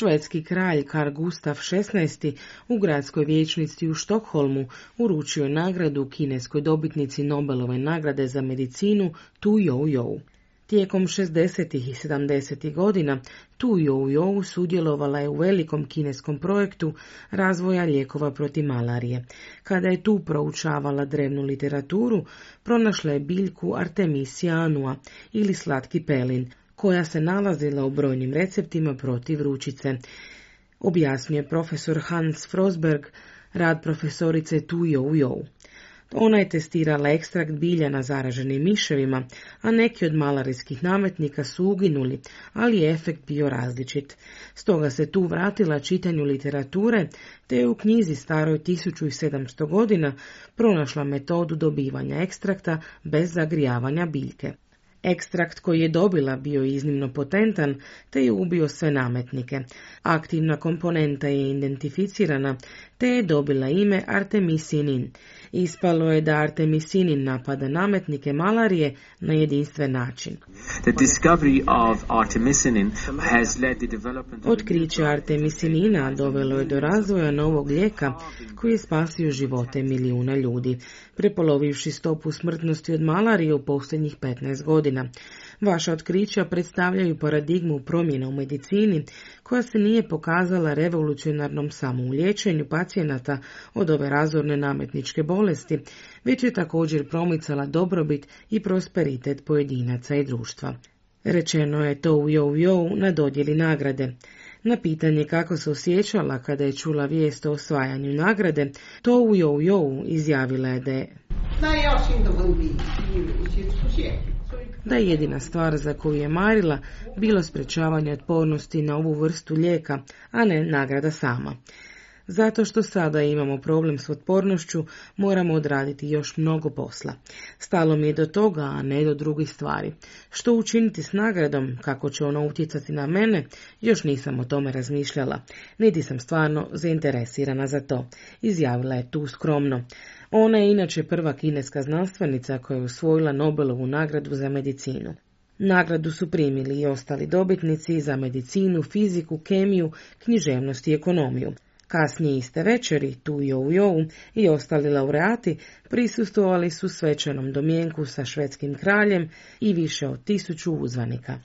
Švedski kralj Carl Gustaf XVI u gradskoj vijećnici u Štokholmu uručio je nagradu kineskoj dobitnici Nobelove nagrade za medicinu Tu Youyou. Tijekom 60. i 70. godina Tu Youyou sudjelovala je u velikom kineskom projektu razvoja lijekova protiv malarije. Kada je tu proučavala drevnu literaturu, pronašla je biljku Artemisia annua ili slatki pelin, koja se nalazila u brojnim receptima protiv vrućice. Objasnio je profesor Hans Frosberg, rad profesorice Tu Youyou. Ona je testirala ekstrakt bilja na zaraženim miševima, a neki od malarijskih nametnika su uginuli, ali je efekt bio različit. Stoga se tu vratila čitanju literature, te je u knjizi staroj 1700 godina pronašla metodu dobivanja ekstrakta bez zagrijavanja biljke. Ekstrakt koji je dobila bio iznimno potentan, te je ubio sve nametnike. Aktivna komponenta je identificirana, te je dobila ime artemisinin. Ispalo je da artemisinin napada nametnike malarije na jedinstven način. Otkriće artemisinina dovelo je do razvoja novog lijeka koji je spasio živote milijuna ljudi, prepolovivši stopu smrtnosti od malarije u posljednjih 15 godina. Vaša otkrića predstavljaju paradigmu promjena u medicini koja se nije pokazala revolucionarnom samo u liječenju pacijenata od ove razorne nametničke bolesti, već je također promicala dobrobit i prosperitet pojedinaca i društva. Rečeno je to u Youyou na dodjeli nagrade. Na pitanje kako se osjećala kada je čula vijest o osvajanju nagrade, to u Youyou izjavila je da je jedina stvar za koju je marila bilo sprečavanje otpornosti na ovu vrstu lijeka, a ne nagrada sama. Zato što sada imamo problem s otpornošću, moramo odraditi još mnogo posla. Stalo mi je do toga, a ne do drugih stvari. Što učiniti s nagradom, kako će ona utjecati na mene, još nisam o tome razmišljala, niti sam stvarno zainteresirana za to, izjavila je tu skromno. Ona je inače prva kineska znanstvenica koja je osvojila Nobelovu nagradu za medicinu. Nagradu su primili i ostali dobitnici za medicinu, fiziku, kemiju, književnost i ekonomiju. Kasnije iste večeri Tu Youyou i ostali laureati prisustvovali su svečanom domjenku sa švedskim kraljem i više od 1000 uzvanika.